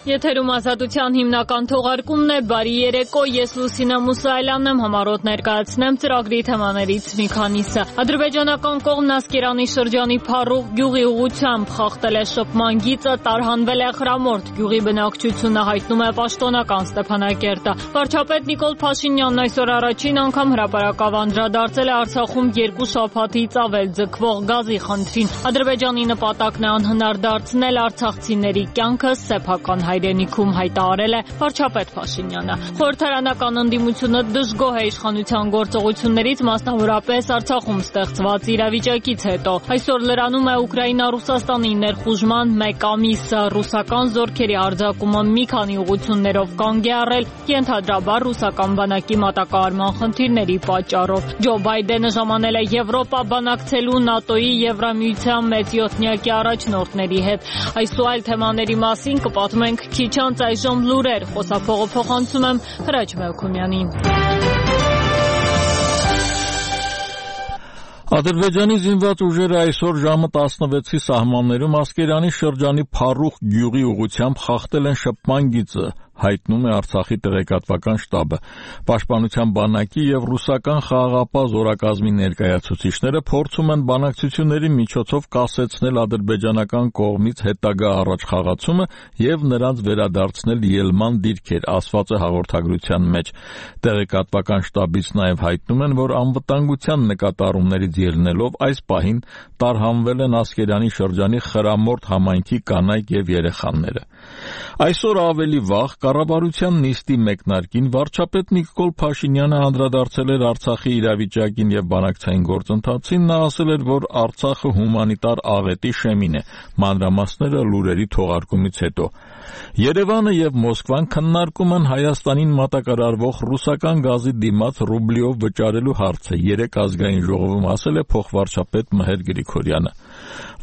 Եթերում ազատության հիմնական թողարկումն է, բարի երեկո, ես Լուսինե Մուսայելյանն եմ, համառոտ ներկայացնեմ ծրագրի թեմաներից մի քանիսը։ Ադրբեջանական կողմն Ասկերանի շրջանի Փառուխ գյուղի ուղղությամբ խախտել է շփման գիծը, տարհանվել է Խրամորդ գյուղի բնակչությունը, հայտնում է պաշտոնական Ստեփանակերտը։ Վարչապետ Նիկոլ Փաշինյանն այսօր առաջին անգամ հրապարակավ անդրադարձել է Արցախում 2 շաբաթից ավել ձգվող գազի խնդրին։ Ադրբեջանի նպատակն է անհնար դարձնել արցախցիների կյանքը սեփական հայրենիքում, հայտարարել է վարչապետ Փաշինյանը։ Խորհրդարանական ընդդիմությունը դժգոհ է իշխանության գործողություններից, մասնավորապես Արցախում ստեղծված իրավիճակից հետո։ Այսօր լրանում է Ուկրաինա-Ռուսաստանի ներխուժման 1 ամիսը, ռուսական զորքերի արձակումը մի քանի ուղղություններով կանգ է առել, ենթադրաբար ռուսական բանակի մատակարարման խնդիրների պատճառով։ Ջո Բայդենը ժամանել է Եվրոպա բանակցելու ՆԱՏՕ-ի Եվրամիության մեծ յոթնյակի առաջնորդների հետ։ Այս ու այլ թեմաների մասին կպատմենք քիչ անց, այժմ լուրեր, խոսափողը փոխանցում եմ Հրաչ Մելքումյանին։ Ադրբեջանի զինված ուժերը այսօր ժամը 16-ի սահմաններում Ասկերանի շրջանի Փառուխ գյուղի ուղղությամբ խախտել են շփման գիծը, հայտնում է Արցախի տեղեկատվական շտաբը։ Պաշտպանության բանակի եւ ռուսական խաղաղապահ զորակազմի ներկայացուցիչները փորձում են բանակցությունների միջոցով կասեցնել ադրբեջանական կողմից հետագա առաջխաղացումը եւ նրանց վերադարձնել ելման դիրքեր, ասված է հաղորդագրության մեջ։ Տեղեկատվական շտաբից նաեւ հայտնում են, որ անվտանգության նկատառումներից ելնելով այս պահին տարհանվել են Ասկերանի շրջանի Խրամորդ համայնքի կանայք եւ երեխաները։ Այսօր ավելի վաղ կառավարության նիստի մեկնարկին վարչապետ Նիկոլ Փաշինյանը անդրադարձել էր Արցախի իրավիճակին եւ բանակցային գործընթացին, նա ասել էր, որ Արցախը հումանիտար աղետի շեմին է, մանրամասները լուրերի թողարկումից հետո։ Երևանը եւ Մոսկվան քննարկում են Հայաստանին մատակարարվող ռուսական գազի դիմաց ռուբլիով վճարելու հարցը, երեկ ազգային ժողովում ասել է փոխվարչապետ Մհեր Գրիգորյանը։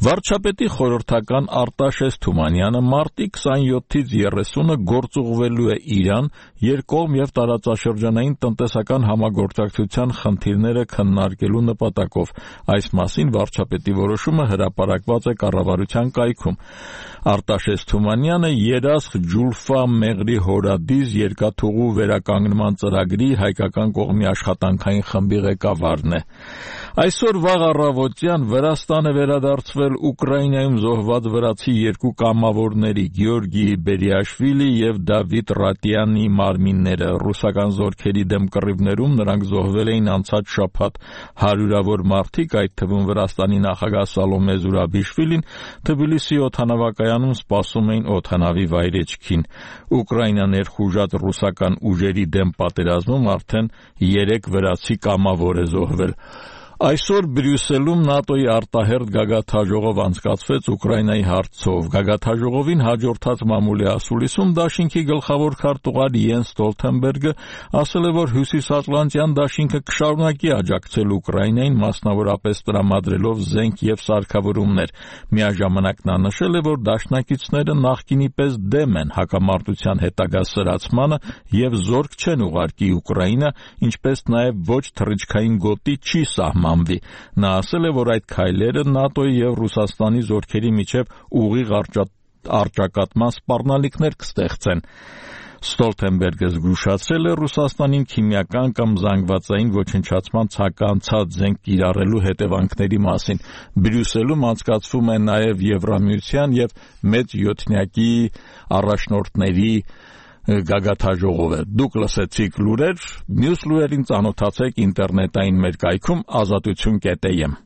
Վարչապետի խորհրդական Արտաշես Թումանյանը մարտի 27-ից 30-ը գործուղվելու է Իրան, երկկողմ եւ տարածաշրջանային տնտեսական համագործակցության խնդիրները քննարկելու նպատակով։ Այս մասին վարչապետի որոշումը հրապարակված է կառավարության կայքում։ Արտաշես Թումանյանը Երասխ Ջուլֆա Մեղրի Հորադիզ երկաթուղու վերականգնման ծրագրի հայկական կողմի աշխատանքային խմբի ղեկավարն է։ Այսօր վաղ առավոտյան Վրաստան է վերադարձվել Ուկրաինայում զոհված վրացի 2 կամավորների Գեորգի Բերիաշվիլի եւ Դավիթ Ռատյանի մարմինները։ Ռուսական զորքերի դեմ կռիվներում նրանք զոհվել էին անցած շաբաթ։ Հարյուրավոր մարդիկ, այդ թվում Վրաստանի նախագահ Սալոմե Զուրաբիշվիլին, Թբիլիսի օդանավակայանում սպասում էին օդանավի վայրեջքին։ Ուկրաինա ներխուժած ռուսական ուժերի դեմ պատերազմում արդեն 3 վրացի կամավոր է զոհվել։ Այսօր Բրյուսելում ՆԱՏՕ-ի արտահերթ գագաթաժողով անցկացվեց Ուկրաինայի հարցով։ Գագաթաժողովին հաջորդած մամուլի ասուլիսում դաշինքի գլխավոր քարտուղար Յենս Ստոլթենբերգը ասել է, որ Հյուսիսատլանտյան դաշինքը կշարունակի աջակցել Ուկրաինային, մասնավորապես տրամադրելով զենք եւ սարքավորումներ։ Միաժամանակ նա նշել է, որ դաշնակիցները նախկինի պես դեմ են հակամարտության հետագա սրացմանը եւ զորք չեն ուղարկի Ուկրաինա, ինչպես նաեւ ոչ թռիչքային գոտի չի սահմանվի։ Նա ասել է, որ այդ քայլերը ՆԱՏՕ-ի եւ Ռուսաստանի զորքերի միջև ուղիղ առճակատման սպառնալիքներ կստեղծեն։ Ստոլթենբերգը զգուշացրել է Ռուսաստանին քիմիական կամ զանգվածային ոչնչացման ցանկացած զենք կիրառելու հետևանքների մասին։ Բրյուսելում անցկացվում է նաև Եվրամիության եւ մեծ յոթնյակի առաջնորդների գագաթաժողովը։ Դուք լսեցիք լուրեր, մյուս լուրերին ծանոթացեք ինտերնետային մեր կայքում azatutun.am։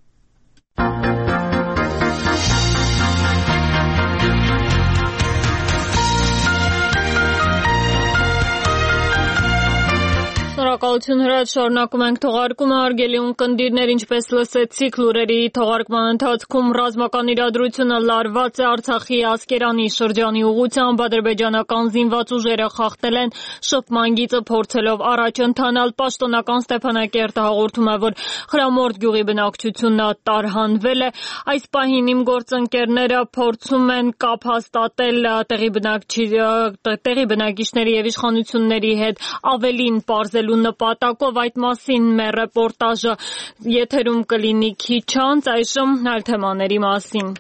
Շնորհակալություն Հրաչ, շարունակում ենք թողարկումը, հարգելի ունկնդիրներ, ինչպես լսեցիք լուրերի թողարկման ընթացքում ռազմական իրադրությունը լարված է Արցախի Ասկերանի շրջանի ուղղությամբ, ադրբեջանական զինված ուժերը խախտել են շփման գիծը, փորձելով առաջ ընթանալ, պաշտոնական Ստեփանակերտը հաղորդում է, որ Խրամորդ գյուղի բնակչությունը տարհանվել է։ Այս պահին իմ գործընկերները փորձում են կապ հաստատել տեղի բնակիչների եւ իշխանությունների հետ, ավելին պարզելու նպատակով, այդ մասին մեր ռեպորտաժը եթերում կլինի քիչ անց, այժմ այլ թեմաների մասին։